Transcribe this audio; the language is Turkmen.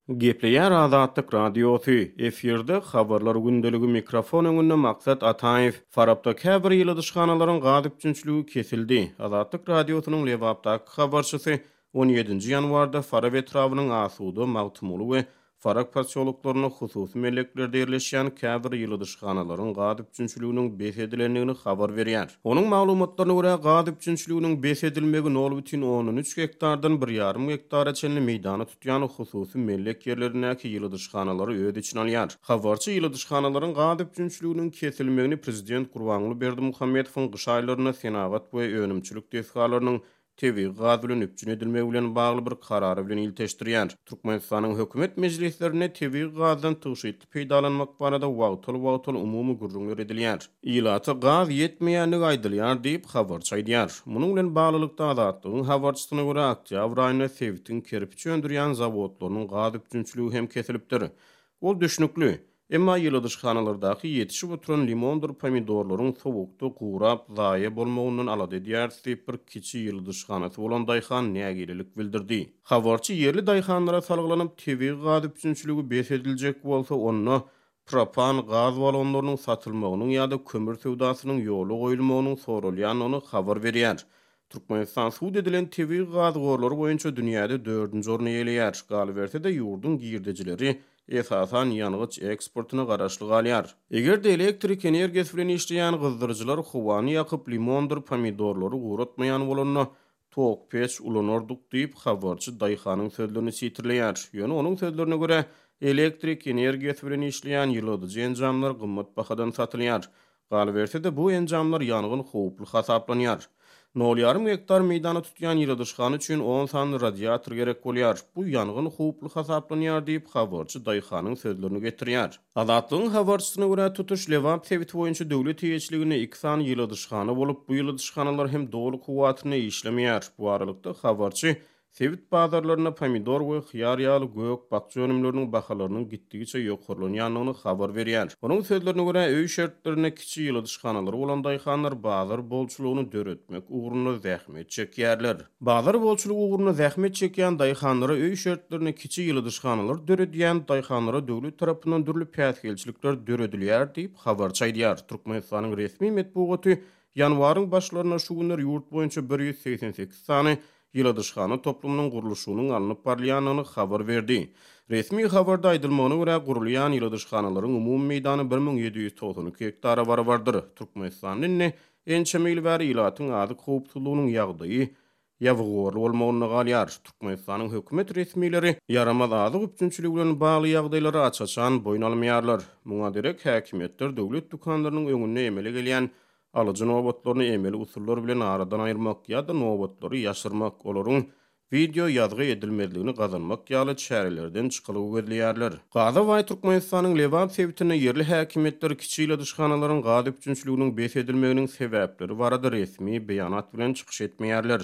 Gepleýär Azatlyk Radiosy, efirde Habarlar gündeligi mikrofon öňünde Maksat Ataýew. Farapda käbir ýyladyşhanalaryň gaz üpjünçiligi kesildi. Azatlyk Radiosynyň Lebapdaky habarçysy on ýedinji ýanwarda Farap etrabynyň Asuda, Magtymguly we Farap posýoloklarynda hususy melleklerde ýerleşýän käbir ýyladyşhanalaryň gaz üpjünçiliginiň bes edilendigini habar berýär. Onuň maglumatlaryna görä, gaz üpjünçiliginiň bes edilmegi nol bütin ondan üç gektardan bir ýarym gektara çenli meýdany tutýan hususy mellek ýerlerindäki ýyladyşhanalary öz içine alýar. Habarçy ýyladyşhanalaryň gaz üpjünçiliginiň kesilmegini prezident Gurbanguly Berdimuhamedowyň gyş aýlarynda senagat we önümçilik desgalarynyň tebigy gaz bilen üpjün edilmegi bilen bagly bir karary bilen ilteşdirýär. Türkmenistanyň hökümet mejlislerinde tebigy gazdan tygşytly peýdalanmak barada wagtal-wagtal umumy gürrüňler edilýär. Ilata gaz ýetmeýändigi aýdylýar diýip, habarçy aýdýar. Munuň bilen baglylykda, Azatlygyň habarçysyna görä, oktýabr aýynda sebitiň kerpiç öndürýän zawodlarynyň gaz üpjünçiligi hem kesilipdir. Ol düşnükli. Emma ýyladyşhanalardaky ýetişip oturan limondyr pomidorlaryň sowukda gurap, zaýa bolmagyndan alada edýäris diýip, bir kiçi ýyladyşhanasy bolan daýhan nägilelik bildirdi. Habarçy ýerli daýhanlara salgylanyp, tebigy gaz üpjünçiligi bes ediljek bolsa, onda propan gaz balonlarynyň satylmagynyň ýa-da kömür söwdasynyň ýola goýulmagynyň soralýandygyny habar berýär. Türkmenistan sud edilen tebigy gaz gorlary boýunça dünýäde dördünji orny eýeleýär. Galyberse-de, ýurduň girdejileri, esasan, ýangyç eksportyna garaşly galýar. Eger-de elektrik energiýasy bilen işleýän gyzdyryjylar howany ýakyp, limondyr pomidorlary guratmaýan bolanda, tok peç ulanardyk diýip, habarçy daýhanyň sözlerini sitirleýär. Ýöne onuň sözlerine görä, elektrik energiýasy bilen işleýän ýyladyjy enjamlar gymmat bahadan satylýar. Galyberse-de, bu enjamlar ýangyn howply hasaplanýar. Nol ýarym gektar meýdany tutýan ýyladyşhana üçin on sany radiator gerek bolýar. Bu ýangyn howply hasaplanýar diýip, habarçy daýhanyň sözlerini getirýär. Azatlygyň habarçysyna görä, tutuş Lebap sebiti boýunça döwlet eýeçiliginde iki sany ýyladyşhana bolup, bu ýyladyşhanalar hem doly kuwwatynda işlemeýär. Bu aralykda, habarçy Sebit bazarlarynda pomidor we hyýar ýaly gök-bakja önümleriniň bahalarynyň gitdigiçe ýokarlanýandygyny habar berýär. Onuň sözlerine görä, öý şertlerinde kiçi ýyladyşhanalary bolan daýhanlar bazar bolçulygyny döretmek ugrunda zähmet çekýärler. Bazar bolçulygy ugrunda zähmet çekýän daýhanlara öý şertlerinde kiçi ýyladyşhanalar döredýän daýhanlara döwlet tarapyndan dürli päsgelçilikler döredilýär diýip, habarçy aýdýar. Türkmenistanyň resmi metbugaty ýanwaryň başlarynda şu günler ýurt boýunça 188 sany ýyladyşhana toplumynyň gurluşygynyň alnyp barylýandygyny habar berdi. Resmi habarda aýdylmagyna görä, gurulýan ýyladyşhanalaryň umumy meýdany 1792 gektara barabardyr. Türkmenistanda indi ençeme ýyl bäri ilatyň azyk howpsuzlygynyň ýagdaýy ýabygorly bolmagynda galýar. Türkmenistanyň hökümet resmileri ýaramaz azyk üpjünçiligi bilen bagly ýagdaýlary aç-açan boýun almaýarlar. Muňa derek häkimiýetler döwlet dükanlarynyň öňünde emele gelýän Alyjy nobatlaryny emeli usullar bilen aradan aýyrmak ýa-da nobatlary ýaşyrmak, olaryň wideo ýazgy edilmezligini gazanmak ýaly çärelerden çykalga gözleýärler. Gaza baý Türkmenistanyň Lebap sebitinde ýerli häkimiýetler kiçi ýyladyşhanalaryň gaz üpjünçiliginiň bes edilmeginiň sebäpleri barada resmi beýanat bilen çykyş etmeýärler.